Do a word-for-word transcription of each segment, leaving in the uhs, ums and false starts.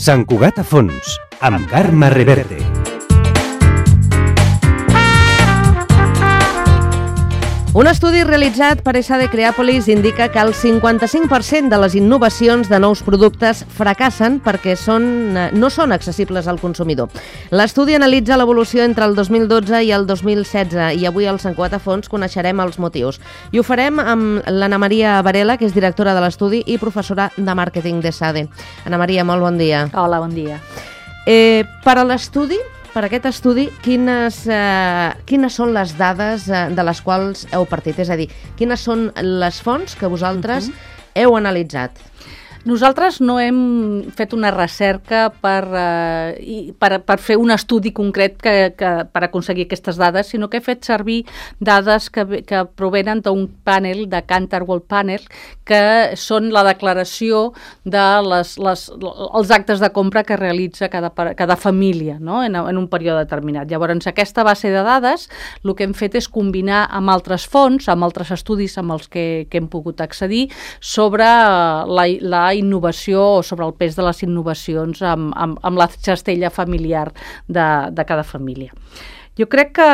Sant Cugat a fons, amb Carme Reverte. Un estudi realitzat per S A D Creàpolis indica que el cinquanta-cinc per cent de les innovacions de nous productes fracassen perquè són, no són accessibles al consumidor. L'estudi analitza l'evolució entre el dos mil dotze i el dos mil setze i avui al Sant Cugat a fons coneixerem els motius. I ho farem amb l'Anna Maria Varela, que és directora de l'estudi i professora de màrqueting d'S A D. Anna Maria, molt bon dia. Hola, bon dia. Eh, per a l'estudi, Per aquest estudi, quines, eh, quines són les dades eh, de les quals heu partit? És a dir, quines són les fonts que vosaltres uh-huh. heu analitzat? Nosaltres no hem fet una recerca per, eh, per, per fer un estudi concret que, que, per aconseguir aquestes dades, sinó que he fet servir dades que, que provenen d'un panel, de Kantar World Panel, que són la declaració de les, les, els actes de compra que realitza cada, cada família, no? en, en un període determinat. Llavors, aquesta base de dades, el que hem fet és combinar amb altres fonts, amb altres estudis amb els que, que hem pogut accedir, sobre la, la innovació o sobre el pes de les innovacions amb, amb, amb la cistella familiar de, de cada família. Jo crec que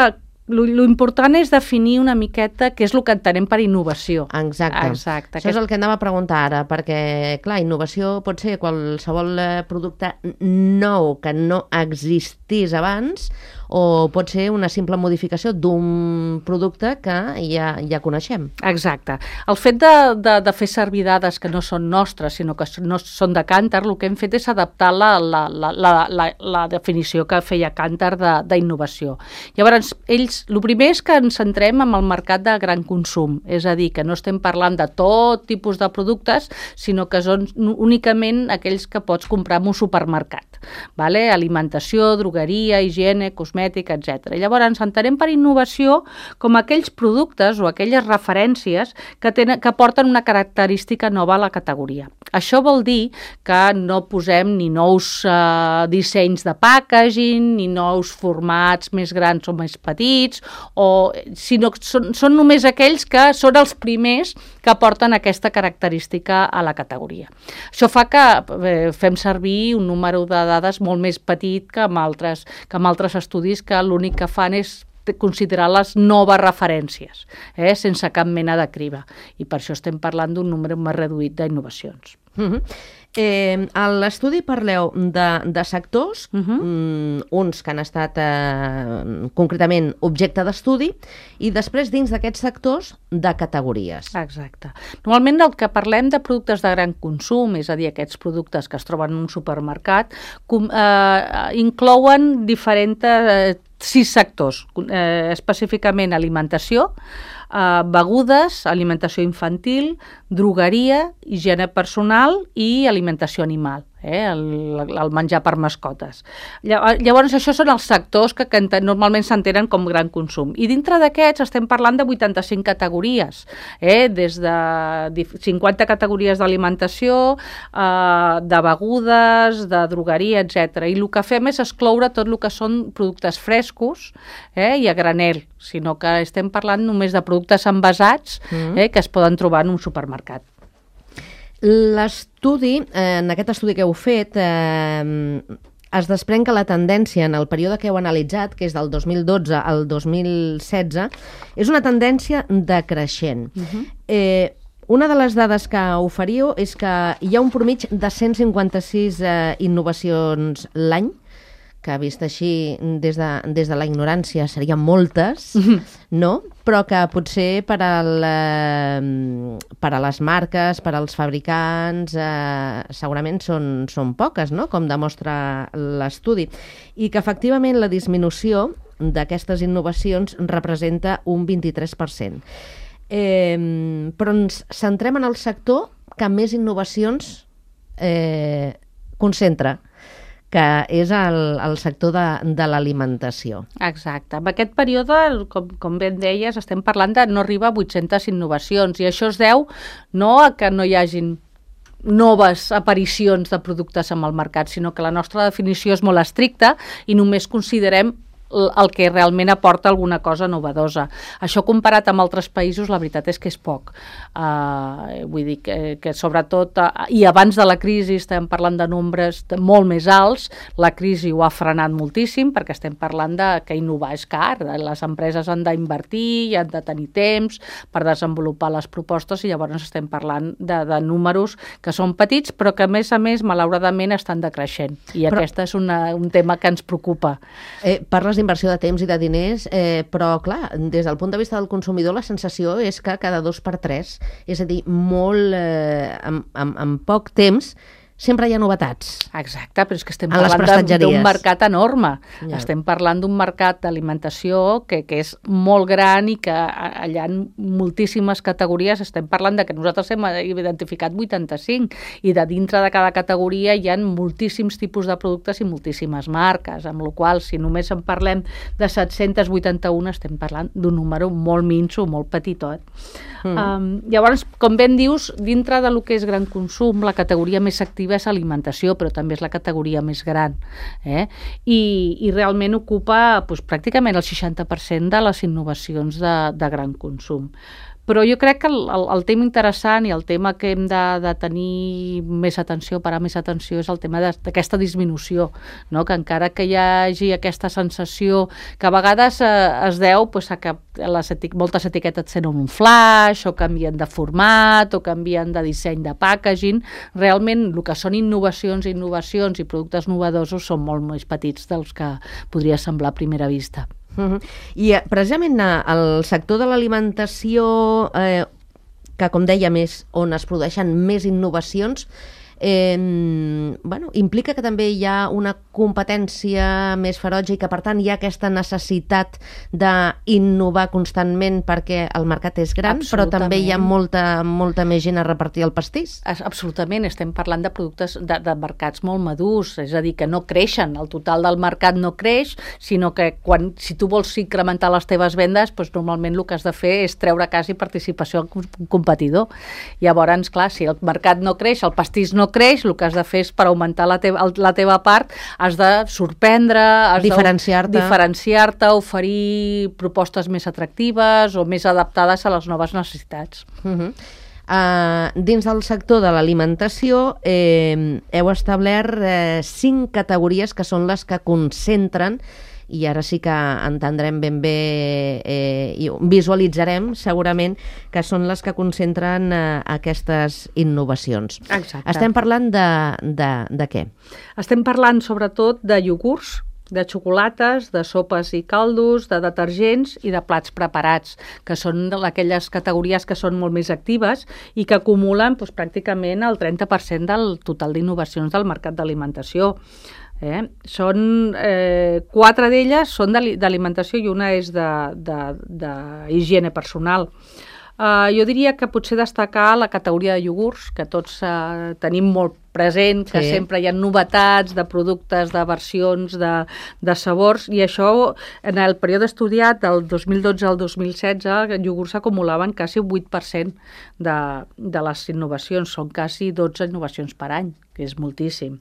l'important és definir una miqueta què és el que entenem per innovació. Exacte. Exacte. Això és el que anava a preguntar ara, perquè, clar, innovació pot ser qualsevol producte nou que no existís abans, o pot ser una simple modificació d'un producte que ja, ja coneixem. Exacte. El fet de, de, de fer servir dades que no són nostres, sinó que no són de Kantar, el que hem fet és adaptar la, la, la, la, la, la definició que feia Kantar d'innovació. Llavors, ells, el primer és que ens centrem en el mercat de gran consum, és a dir, que no estem parlant de tot tipus de productes, sinó que són únicament aquells que pots comprar en un supermercat. Vale? Alimentació, drogueria, higiene, cosmètica, etcètera. Llavors, ens entenem per innovació com aquells productes o aquelles referències que, tenen, que porten una característica nova a la categoria. Això vol dir que no posem ni nous eh, dissenys de packaging, ni nous formats més grans o més petits, o, sinó que són, són només aquells que són els primers que porten aquesta característica a la categoria. Això fa que eh, fem servir un número de dades molt més petit que amb altres, que amb altres estudis que l'únic que fan és considerar les noves referències, eh, sense cap mena de criba. I per això estem parlant d'un número més reduït d'innovacions. Uh-huh. Eh, a l'estudi parleu de, de sectors, uh-huh. um, uns que han estat eh, concretament objecte d'estudi, i després dins d'aquests sectors de categories. Exacte. Normalment el que parlem de productes de gran consum, és a dir, aquests productes que es troben en un supermercat, com, eh, inclouen diferents eh, sis sectors, eh, específicament alimentació, Uh, begudes, alimentació infantil, drogueria, higiene personal i alimentació animal, eh? el, el menjar per mascotes. Llavors, això són els sectors que, que normalment s'entenen com gran consum. I dintre d'aquests estem parlant de vuitanta-cinc categories, eh? Des de cinquanta categories d'alimentació, uh, de begudes, de drogueria, etcètera. I el que fem és excloure tot el que són productes frescos eh? i a granel, sinó que estem parlant només de productes envasats mm. eh, que es poden trobar en un supermercat. L'estudi, eh, en aquest estudi que heu fet, eh, es desprèn que la tendència en el període que heu analitzat, que és del dos mil dotze al dos mil setze, és una tendència decreixent. Uh-huh. Eh, una de les dades que oferiu és que hi ha un promig de cent cinquanta-sis eh, innovacions l'any, que vist així des de, des de la ignorància serien moltes, no? Però que potser per, al, eh, per a les marques, per als fabricants, eh, segurament són, són poques, no? Com demostra l'estudi. I que efectivament la disminució d'aquestes innovacions representa un vint-i-tres per cent. Eh, però ens centrem en el sector que més innovacions eh, concentra, que és el, el sector de, de l'alimentació. Exacte. En aquest període, com, com ben deies, estem parlant de no arribar a vuit-centes innovacions, i això es deu no a que no hi hagin noves aparicions de productes en el mercat, sinó que la nostra definició és molt estricta i només considerem el que realment aporta alguna cosa novedosa. Això comparat amb altres països, la veritat és que és poc. Uh, vull dir que, que sobretot, uh, i abans de la crisi estem parlant de nombres de molt més alts, la crisi ho ha frenat moltíssim perquè estem parlant de que innovar és car, les empreses han d'invertir i han de tenir temps per desenvolupar les propostes i llavors estem parlant de, de números que són petits però que a més a més malauradament estan decreixent i però, aquest és una, un tema que ens preocupa. Eh, parles d'inversió de temps i de diners, eh, però clar, des del punt de vista del consumidor la sensació és que cada dos per tres, és a dir, molt eh, amb, amb, amb poc temps sempre hi ha novetats. Exacte, però és que estem parlant d'un mercat enorme. Ja. Estem parlant d'un mercat d'alimentació que, que és molt gran i que allà hi ha moltíssimes categories. Estem parlant de que nosaltres hem identificat vuitanta-cinc i de dintre de cada categoria hi ha moltíssims tipus de productes i moltíssimes marques, amb la qual si només en parlem de set-cents vuitanta-u estem parlant d'un número molt minso, molt petitot. Mm. Um, llavors, com ben dius, dintre de lo que és gran consum, la categoria més activa és alimentació, però també és la categoria més gran. Eh? I, i realment ocupa doncs, pràcticament el seixanta per cent de les innovacions de, de gran consum. Però jo crec que el, el, el tema interessant i el tema que hem de, de tenir més atenció, parar més atenció, és el tema d'aquesta disminució, no? Que encara que hi hagi aquesta sensació que a vegades eh, es deu pues, a que les etic moltes etiquetes tenen un flash o canvien de format o canvien de disseny de packaging, realment el que són innovacions, innovacions i productes novedosos són molt més petits dels que podria semblar a primera vista. Uh-huh. I precisament el sector de l'alimentació, eh, que com dèiem és on es produeixen més innovacions, eh, bueno, implica que també hi ha una competència més ferotge i que per tant hi ha aquesta necessitat d'innovar constantment perquè el mercat és gran, però també hi ha molta, molta més gent a repartir el pastís. Absolutament, estem parlant de productes de, de mercats molt madurs, és a dir, que no creixen, el total del mercat no creix, sinó que quan, si tu vols incrementar les teves vendes, doncs normalment el que has de fer és treure quasi participació al competidor. Llavors, clar, si el mercat no creix, el pastís no creix, el que has de fer és per augmentar la teva, la teva part, has de sorprendre, has diferenciar-te, de diferenciar-te, oferir propostes més atractives o més adaptades a les noves necessitats. Uh-huh. Uh, dins del sector de l'alimentació eh, heu establert eh, cinc categories que són les que concentren, i ara sí que entendrem ben bé eh, i visualitzarem segurament que són les que concentren eh, aquestes innovacions. Exacte. Estem parlant de, de, de què? Estem parlant sobretot de iogurts, de xocolates, de sopes i caldos, de detergents i de plats preparats, que són aquelles categories que són molt més actives i que acumulen doncs, pràcticament el trenta per cent del total d'innovacions del mercat d'alimentació. Eh? Són, eh, quatre d'elles són d'alimentació i una és d'higiene personal. Uh, jo diria que potser destacar la categoria de iogurts, que tots uh, tenim molt present, que sí. Sempre hi ha novetats de productes, de versions, de, de sabors, i això en el període estudiat del dos mil dotze al dos mil setze, els iogurts s'acumulaven quasi un vuit per cent de, de les innovacions, són quasi dotze innovacions per any, que és moltíssim.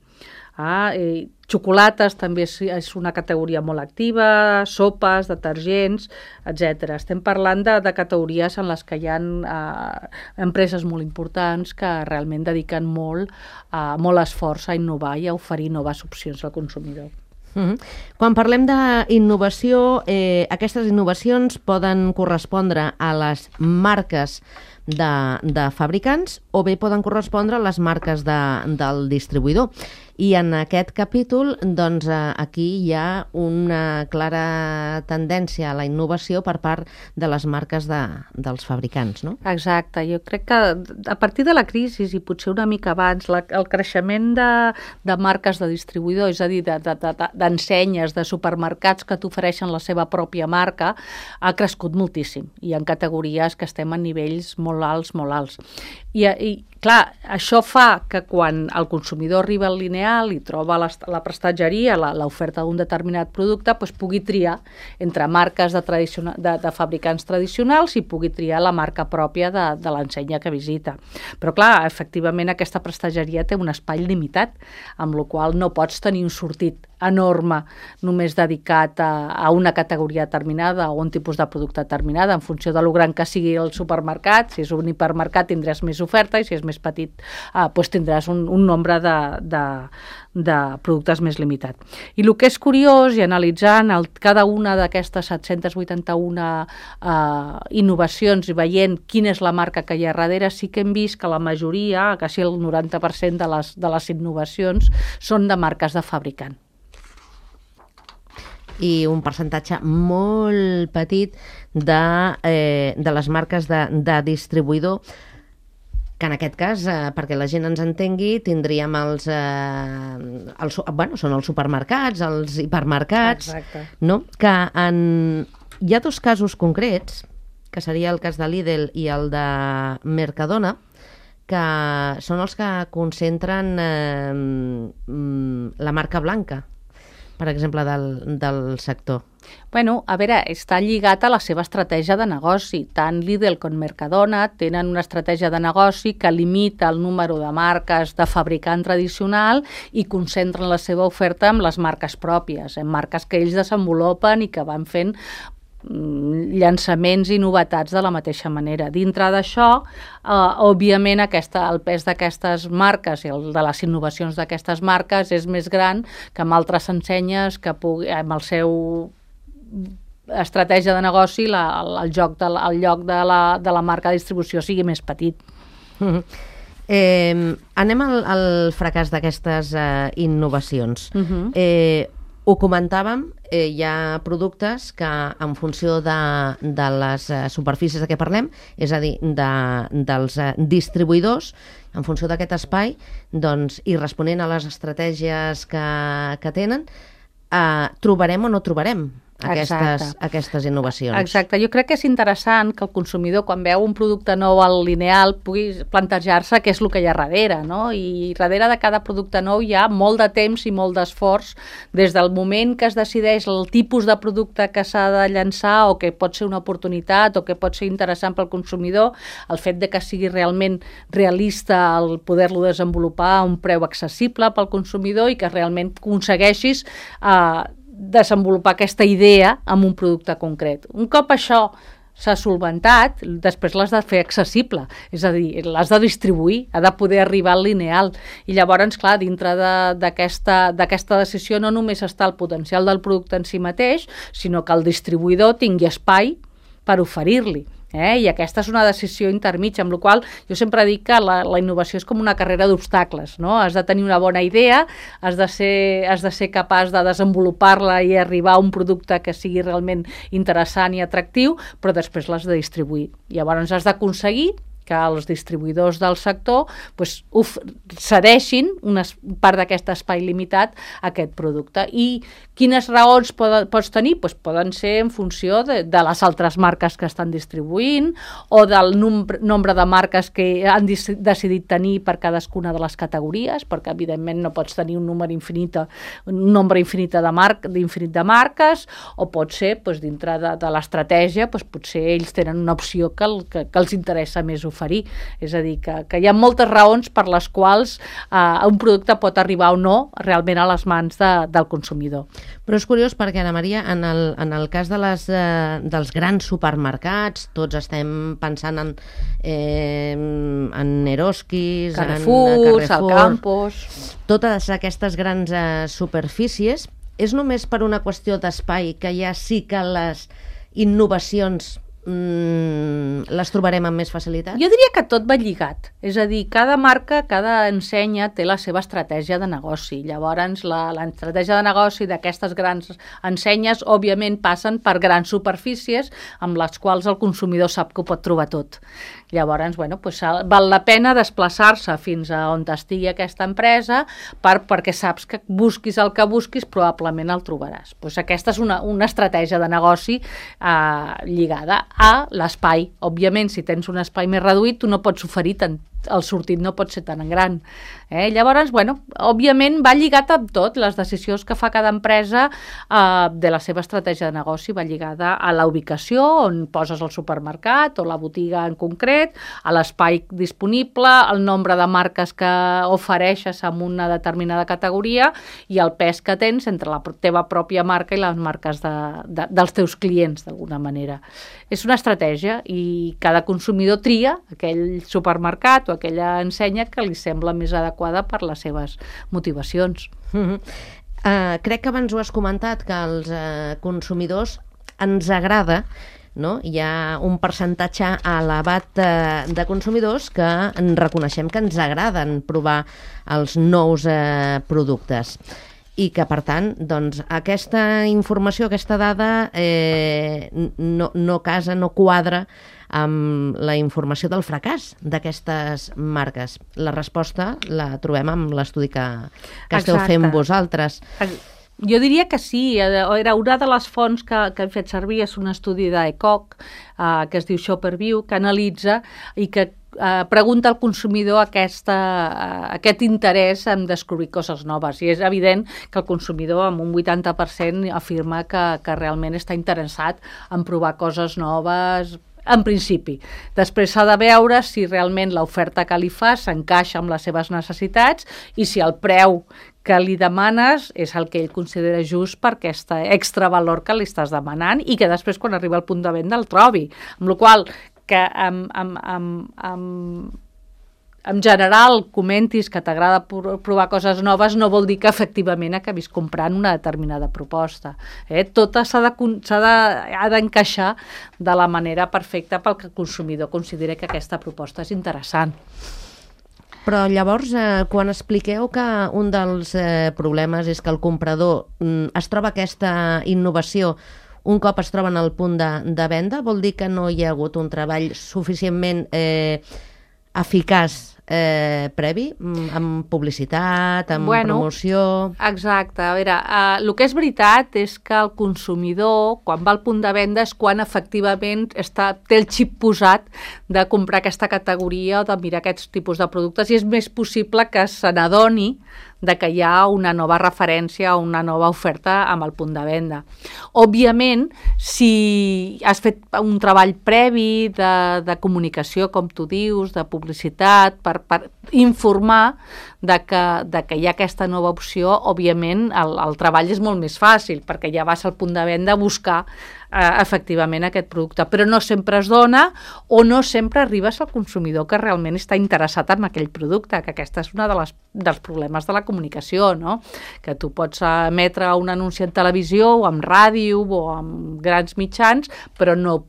Ah, eh, xocolates també és, és una categoria molt activa, sopes, detergents, etcètera. Estem parlant de, de categories en les que hi ha eh, empreses molt importants que realment dediquen molt, eh, molt esforç a innovar i a oferir noves opcions al consumidor. Uh-huh. Quan parlem d'innovació, eh, aquestes innovacions poden correspondre a les marques de, de fabricants o bé poden correspondre a les marques de, del distribuïdor. I en aquest capítol, doncs, aquí hi ha una clara tendència a la innovació per part de les marques de, dels fabricants, no? Exacte. Jo crec que a partir de la crisi i potser una mica abans, la, el creixement de, de marques de distribuïdor, és a dir, d'ensenyes, de, de, de supermercats que t'ofereixen la seva pròpia marca, ha crescut moltíssim. I en categories que estem a nivells molt alts, molt alts. I, i clar, això fa que quan el consumidor arriba al lineal i troba la, la prestatgeria, l'oferta d'un determinat producte, doncs pugui triar entre marques de, de, de fabricants tradicionals i pugui triar la marca pròpia de, de l'ensenya que visita. Però clar, efectivament aquesta prestatgeria té un espai limitat, amb la qual no pots tenir un sortit enorme només dedicat a, a una categoria determinada o un tipus de producte determinada, en funció de lo gran que sigui el supermercat. Si és un hipermercat tindràs més oferta i si és més petit eh, doncs tindràs un, un nombre de, de, de productes més limitat. I el que és curiós, i analitzant el, cada una d'aquestes set-cents vuitanta-una eh, innovacions i veient quina és la marca que hi ha darrere, sí que hem vist que la majoria, quasi el noranta per cent de les, de les innovacions, són de marques de fabricant. I un percentatge molt petit de, eh, de les marques de, de distribuïdor, que en aquest cas, eh, perquè la gent ens entengui, tindríem els, eh, els, bueno, són els supermercats, els hipermercats, no? Que en, hi ha dos casos concrets, que seria el cas de Lidl i el de Mercadona, que són els que concentren eh, la marca blanca, per exemple, del, del sector. Bueno, a veure, està lligat a la seva estratègia de negoci. Tant Lidl com Mercadona tenen una estratègia de negoci que limita el número de marques de fabricant tradicional i concentren la seva oferta en les marques pròpies, en marques que ells desenvolupen i que van fent llançaments i novetats de la mateixa manera. Dintre d'això, eh, òbviament, aquesta, el pes d'aquestes marques i el de les innovacions d'aquestes marques és més gran que amb altres ensenyes que pugui, amb el seu estratègia de negoci, la, el, el, joc de, el lloc de la, de la marca de distribució sigui més petit. Mm-hmm. eh, anem al, al fracàs d'aquestes eh, innovacions. Mm-hmm. eh, Ho comentàvem, eh, hi ha productes que en funció de, de les eh, superfícies de què parlem, és a dir, de, dels eh, distribuïdors, en funció d'aquest espai, doncs, i responent a les estratègies que, que tenen, eh, trobarem o no trobarem aquestes, aquestes innovacions. Exacte. Jo crec que és interessant que el consumidor, quan veu un producte nou al lineal, pugui plantejar-se què és el que hi ha darrere, no? I darrere de cada producte nou hi ha molt de temps i molt d'esforç, des del moment que es decideix el tipus de producte que s'ha de llançar o que pot ser una oportunitat o que pot ser interessant pel consumidor, el fet de que sigui realment realista el poder-lo desenvolupar a un preu accessible pel consumidor i que realment aconsegueixis eh, desenvolupar aquesta idea amb un producte concret. Un cop això s'ha solventat, després l'has de fer accessible, és a dir, l'has de distribuir, ha de poder arribar al lineal. I llavors, clar, dintre d'aquesta d'aquesta decisió no només està el potencial del producte en si mateix, sinó que el distribuïdor tingui espai per oferir-li. Eh? I aquesta és una decisió intermitja, amb la qual jo sempre dic que la, la innovació és com una carrera d'obstacles, no? Has de tenir una bona idea, has de ser, has de ser capaç de desenvolupar-la i arribar a un producte que sigui realment interessant i atractiu, però després l'has de distribuir. Llavors has d'aconseguir que els distribuïdors del sector pues, uf, cedeixin una part d'aquest espai limitat a aquest producte. I quines raons pod pots tenir? Pues poden ser en funció de, de les altres marques que estan distribuint o del nombre, nombre de marques que han decidit tenir per cadascuna de les categories, perquè evidentment no pots tenir un número infinit, un nombre infinit de, mar d'infinit de marques, o pot ser pues, dintre de, de l'estratègia, pues, potser ells tenen una opció que, el, que, que els interessa més oferir. És a dir, que, que hi ha moltes raons per les quals eh, un producte pot arribar o no realment a les mans de, del consumidor. Però és curiós perquè, Ana Maria, en el, en el cas de les, eh, dels grans supermercats, tots estem pensant en, eh, en Eroskis, Carrefour, en Carrefour, el Campos... Totes aquestes grans eh, superfícies, és només per una qüestió d'espai que ja sí que les innovacions Mm, les trobarem amb més facilitat? Jo diria que tot va lligat. És a dir, cada marca, cada ensenya té la seva estratègia de negoci. Llavors, l'estratègia de negoci d'aquestes grans ensenyes, òbviament, passen per grans superfícies amb les quals el consumidor sap que ho pot trobar tot. Llavors, bueno, pues, val la pena desplaçar-se fins a on estigui aquesta empresa per, perquè saps que busquis el que busquis, probablement el trobaràs. Pues aquesta és una, una estratègia de negoci eh, lligada a l'espai. Òbviament, si tens un espai més reduït, tu no pots oferir tant, el sortit no pot ser tan gran. Eh? Llavors, bueno, òbviament va lligat amb tot, les decisions que fa cada empresa eh, de la seva estratègia de negoci va lligada a la ubicació on poses el supermercat o la botiga en concret, a l'espai disponible, el nombre de marques que ofereixes en una determinada categoria i el pes que tens entre la teva pròpia marca i les marques de, de, dels teus clients, d'alguna manera. És una estratègia i cada consumidor tria aquell supermercat o aquella ensenya que li sembla més adequada per les seves motivacions. Mm-hmm. uh, crec que abans ho has comentat, que als uh, consumidors ens agrada, no? Hi ha un percentatge elevat uh, de consumidors que en reconeixem que ens agraden provar els nous uh, productes i que, per tant, doncs, aquesta informació, aquesta dada eh, no, no casa, no quadra amb la informació del fracàs d'aquestes marques. La resposta la trobem amb l'estudi que, que esteu Exacte. fent vosaltres. Jo diria que sí, era una de les fonts que, que hem fet servir, és un estudi d'E C O C, eh, que es diu ShopperView, que analitza i que eh, pregunta al consumidor aquesta, eh, aquest interès en descobrir coses noves. I és evident que el consumidor, amb un vuitanta per cent, afirma que, que realment està interessat en provar coses noves, en principi. Després s'ha de veure si realment l'oferta que li fa s'encaixa amb les seves necessitats i si el preu que li demanes és el que ell considera just per aquest extra valor que li estàs demanant i que després, quan arriba al punt de venda, el trobi. Amb la qual cosa, que amb, amb, amb, amb, en general comentis que t'agrada provar coses noves no vol dir que efectivament acabis comprant una determinada proposta. Eh? Tot s'ha de, s'ha de, ha d'encaixar de la manera perfecta pel que el consumidor consideri que aquesta proposta és interessant. Però llavors, eh, quan expliqueu que un dels eh, problemes és que el comprador mm, es troba aquesta innovació un cop es troba en el punt de, de venda, vol dir que no hi ha hagut un treball suficientment eh, eficaç eh, previ, amb publicitat, amb bueno, promoció... Exacte. A veure, uh, el que és veritat és que el consumidor, quan va al punt de venda, és quan efectivament està, té el xip posat de comprar aquesta categoria o de mirar aquests tipus de productes i és més possible que se n'adoni de que hi ha una nova referència o una nova oferta amb el punt de venda. Òbviament, si has fet un treball previ de, de comunicació, com tu dius, de publicitat, per, per informar de que, de que hi ha aquesta nova opció, òbviament el, el treball és molt més fàcil, perquè ja vas al punt de venda a buscar eh, efectivament aquest producte, però no sempre es dona o no sempre arribes al consumidor que realment està interessat en aquell producte, que aquesta és una de les, dels problemes de la comunicació, no? Que tu pots emetre un anunci en televisió o en ràdio o en grans mitjans, però no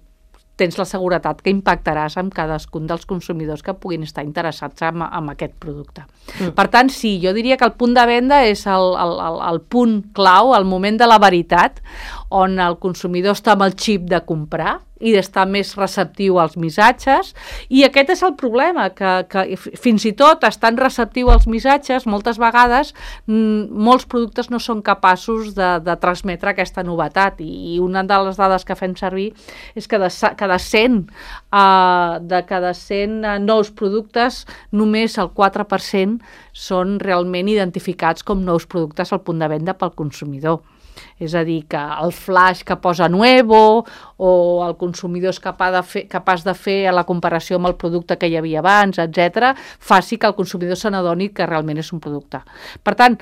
tens la seguretat que impactaràs amb cadascun dels consumidors que puguin estar interessats en, en aquest producte. Mm. Per tant, sí, jo diria que el punt de venda és el, el, el, el punt clau, el moment de la veritat, on el consumidor està amb el xip de comprar i d'estar més receptiu als missatges, i aquest és el problema, que, que fins i tot estant receptiu als missatges, moltes vegades m, molts productes no són capaços de, de transmetre aquesta novetat, i, i una de les dades que fem servir és que de cada cent, uh, de cada cent uh, nous productes, només el quatre per cent són realment identificats com nous productes al punt de venda pel consumidor. És a dir, que el flash que posa Nuevo o el consumidor és capaç de fer, capaç de fer la comparació amb el producte que hi havia abans, etcètera, faci que el consumidor se n'adoni que realment és un producte. Per tant,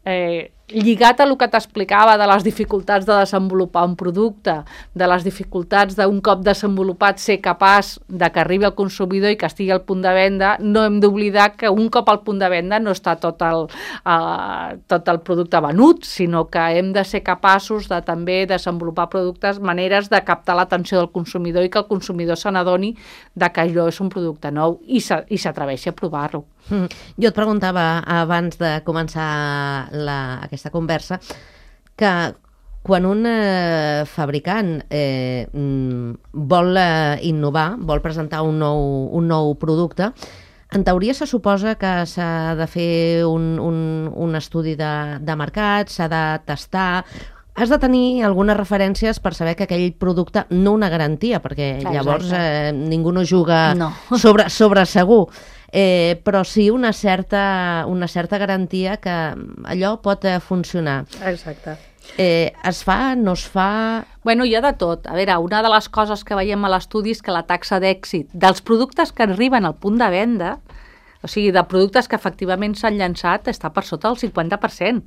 eh, lligat a el que t'explicava de les dificultats de desenvolupar un producte, de les dificultats d'un cop desenvolupat ser capaç de que arribi al consumidor i que estigui al punt de venda, no hem d'oblidar que un cop al punt de venda no està tot el, uh, tot el producte venut, sinó que hem de ser capaços de també desenvolupar productes, maneres de captar l'atenció del consumidor i que el consumidor se n'adoni de que allò és un producte nou i s'atreveixi a provar-lo. Mm. Jo et preguntava abans de començar la, aquesta conversa que quan un eh, fabricant eh, vol eh, innovar, vol presentar un nou, un nou producte, en teoria se suposa que s'ha de fer un, un, un estudi de, de mercat, s'ha de tastar, has de tenir algunes referències per saber que aquell producte, no una garantia, perquè llavors eh, ningú no juga no. sobre, sobre segur. eh, però sí una certa, una certa garantia que allò pot eh, funcionar. Exacte. Eh, es fa, no es fa... Bueno, hi ha de tot. A veure, una de les coses que veiem a l'estudi és que la taxa d'èxit dels productes que arriben al punt de venda, o sigui, de productes que efectivament s'han llançat, està per sota del cinquanta per cent,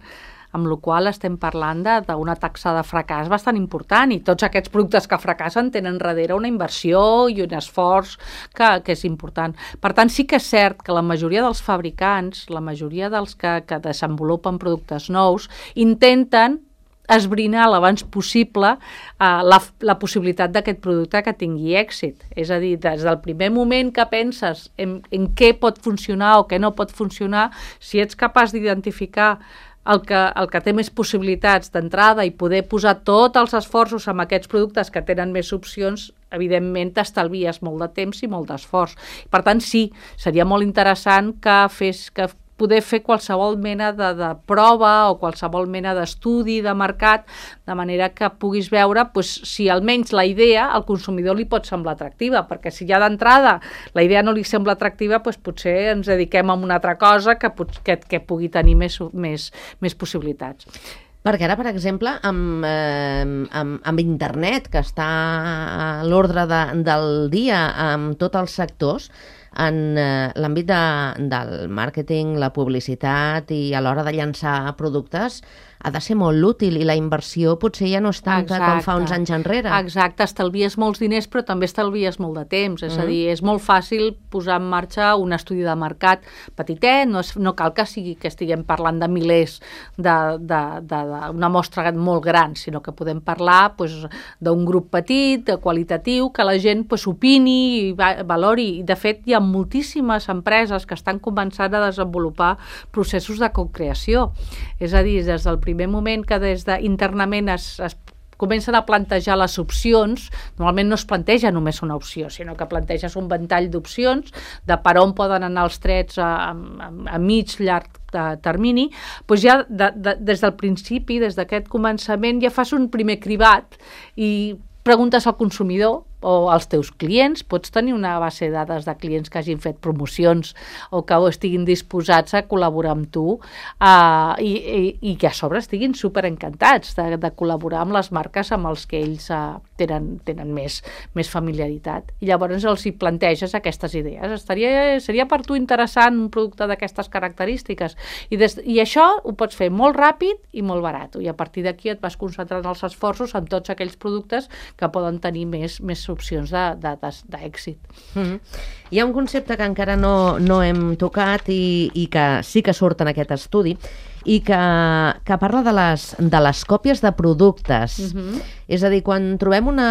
amb la qual cosa estem parlant d'una taxa de fracàs bastant important, i tots aquests productes que fracassen tenen darrere una inversió i un esforç que, que és important. Per tant, sí que és cert que la majoria dels fabricants, la majoria dels que, que desenvolupen productes nous, intenten esbrinar l'abans possible uh, la, la possibilitat d'aquest producte que tingui èxit. És a dir, des del primer moment que penses en, en què pot funcionar o què no pot funcionar, si ets capaç d'identificar el que, el que té més possibilitats d'entrada i poder posar tots els esforços en aquests productes que tenen més opcions, evidentment t'estalvies molt de temps i molt d'esforç. Per tant, sí, seria molt interessant que fes... que poder fer qualsevol mena de, de prova o qualsevol mena d'estudi de mercat, de manera que puguis veure pues, si almenys la idea al consumidor li pot semblar atractiva, perquè si ja d'entrada la idea no li sembla atractiva, pues, potser ens dediquem a una altra cosa que, que, que pugui tenir més, més, més possibilitats. Perquè ara, per exemple, amb, eh, amb, amb internet, que està a l'ordre de, del dia amb tots els sectors, en eh, l'àmbit de, del màrqueting, la publicitat i a l'hora de llançar productes, ha de ser molt útil i la inversió potser ja no és tanta Exacte. Com fa uns anys enrere. Exacte, estalvies molts diners però també estalvies molt de temps, és mm. a dir, és molt fàcil posar en marxa un estudi de mercat petitet, no, és, no cal que sigui que estiguem parlant de milers d'una mostra molt gran, sinó que podem parlar pues, d'un grup petit, qualitatiu, que la gent pues, opini i va, valori. I de fet hi ha moltíssimes empreses que estan començant a desenvolupar processos de co-creació, és a dir, des del primer moment que des d'internament es, es comencen a plantejar les opcions, normalment no es planteja només una opció, sinó que planteges un ventall d'opcions de per on poden anar els trets a, a, a mig, llarg termini, doncs ja de, de, des del principi, des d'aquest començament, ja fas un primer cribat i preguntes al consumidor o als teus clients, pots tenir una base de dades de clients que hagin fet promocions o que estiguin disposats a col·laborar amb tu uh, i, i, i que a sobre estiguin superencantats de, de col·laborar amb les marques amb els que ells uh, tenen, tenen més, més familiaritat. I llavors els hi planteges aquestes idees. Estaria, seria per tu interessant un producte d'aquestes característiques. I, des, I això ho pots fer molt ràpid i molt barat. I a partir d'aquí et vas concentrant els esforços en tots aquells productes que poden tenir més, més opcions d'èxit. Mm-hmm. Hi ha un concepte que encara no, no hem tocat i, i que sí que surt en aquest estudi i que, que parla de les, de les còpies de productes. Mm-hmm. És a dir, quan trobem una,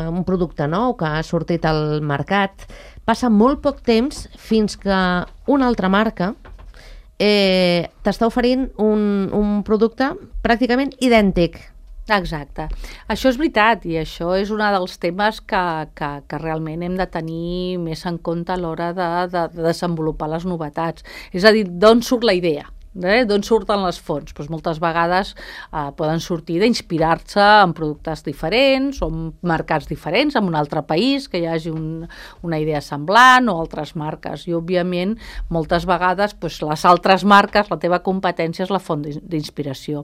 un producte nou que ha sortit al mercat, passa molt poc temps fins que una altra marca eh, t'està oferint un, un producte pràcticament idèntic. Exacte. Això és veritat i això és un dels temes que, que, que realment hem de tenir més en compte a l'hora de, de, de desenvolupar les novetats. És a dir, d'on surt la idea? Eh? D'on surten les fonts? Doncs moltes vegades eh, poden sortir d'inspirar-se en productes diferents o en mercats diferents, en un altre país, que hi hagi un, una idea semblant o altres marques. I, òbviament, moltes vegades doncs, les altres marques, la teva competència és la font d'inspiració.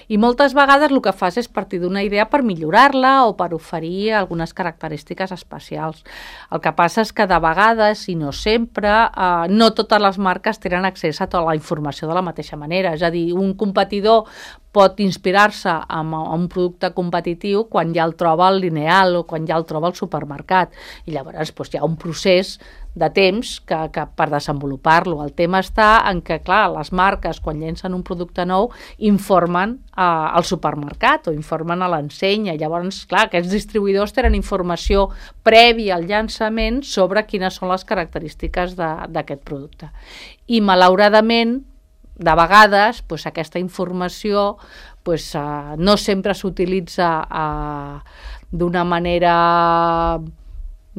I moltes vegades el que fas és partir d'una idea per millorar-la o per oferir algunes característiques especials. El que passa és que de vegades, i no sempre, eh, no totes les marques tenen accés a tota la informació de la mateixa manera, és a dir, un competidor pot inspirar-se en un producte competitiu quan ja el troba al lineal o quan ja el troba al supermercat i llavors doncs, hi ha un procés de temps que, que per desenvolupar-lo. El tema està en que, clar, les marques quan llencen un producte nou informen eh, al supermercat o informen a l'ensenya. Llavors, clar, aquests distribuïdors tenen informació prèvia al llançament sobre quines són les característiques d'aquest producte. I, malauradament, de vegades, pues, aquesta informació pues, uh, no sempre s'utilitza uh, d'una manera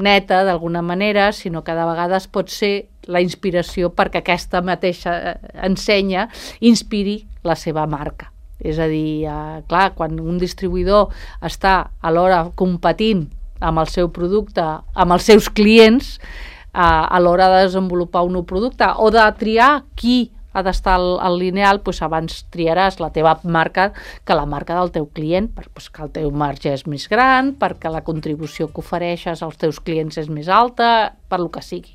neta, d'alguna manera, sinó que de vegades pot ser la inspiració perquè aquesta mateixa ensenya inspiri la seva marca. És a dir, uh, clar, quan un distribuïdor està alhora competint amb el seu producte, amb els seus clients, a, a l'hora de desenvolupar un nou producte o de triar qui ha d'estar al, al lineal, doncs abans triaràs la teva marca que la marca del teu client, perquè el teu marge és més gran, perquè la contribució que ofereixes als teus clients és més alta, per lo que sigui.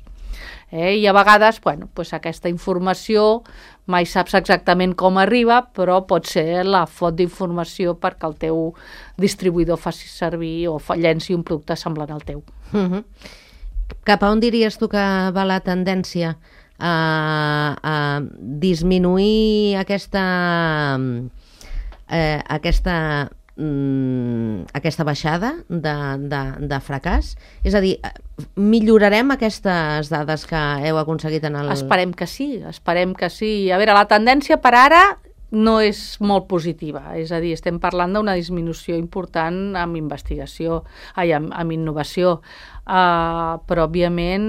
Eh? I a vegades, bueno, doncs aquesta informació mai saps exactament com arriba, però pot ser la font d'informació perquè el teu distribuïdor faci servir o llenci un producte semblant al teu. Uh-huh. Cap a on diries tu que va la tendència a, a disminuir aquesta eh, aquesta mm, aquesta baixada de, de, de fracàs? És a dir, millorarem aquestes dades que heu aconseguit en el... Esperem que sí, esperem que sí. A veure, la tendència per ara no és molt positiva, és a dir, estem parlant d'una disminució important amb investigació, ai, amb, amb innovació. Uh, però òbviament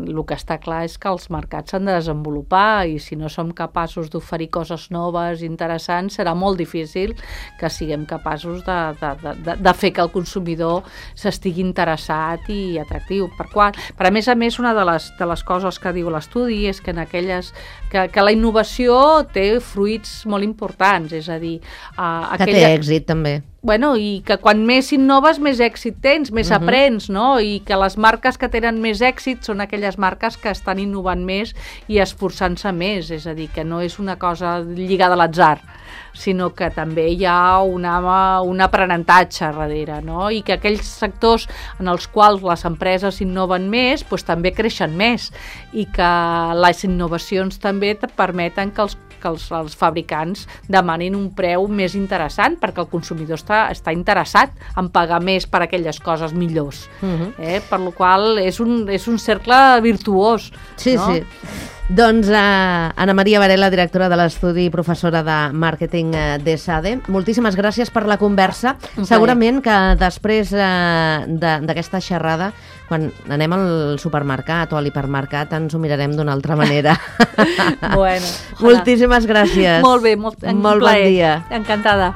el que està clar és que els mercats s'han de desenvolupar i si no som capaços d'oferir coses noves, interessants, serà molt difícil que siguem capaços de, de, de, de fer que el consumidor s'estigui interessat i atractiu. Per, qual, per a més a més, una de les, de les coses que diu l'estudi és que, en aquelles, que, que la innovació té fruits molt importants, és a dir... Uh, aquella... Que té èxit també. Bueno, i que quan més innoves, més èxit tens, més uh-huh. aprens, no? I que les marques que tenen més èxit són aquelles marques que estan innovant més i esforçant-se més, és a dir, que no és una cosa lligada a l'atzar, sinó que també hi ha una, un aprenentatge darrere, no? I que aquells sectors en els quals les empreses innoven més, doncs també creixen més i que les innovacions també et permeten que els que els, els fabricants demanin un preu més interessant perquè el consumidor està, està interessat en pagar més per aquelles coses millors. Uh-huh. eh? Per la qual és un, és un cercle virtuós. Sí, no? sí. Doncs uh, Anna Maria Varela, directora de l'estudi i professora de màrqueting uh, d'ESADE, moltíssimes gràcies per la conversa. Okay. Segurament que després uh, d'aquesta xerrada, quan anem al supermercat o a l'hipermercat, ens ho mirarem d'una altra manera. Bueno, moltíssimes gràcies. Molt bé, molt, molt bon dia. Encantada.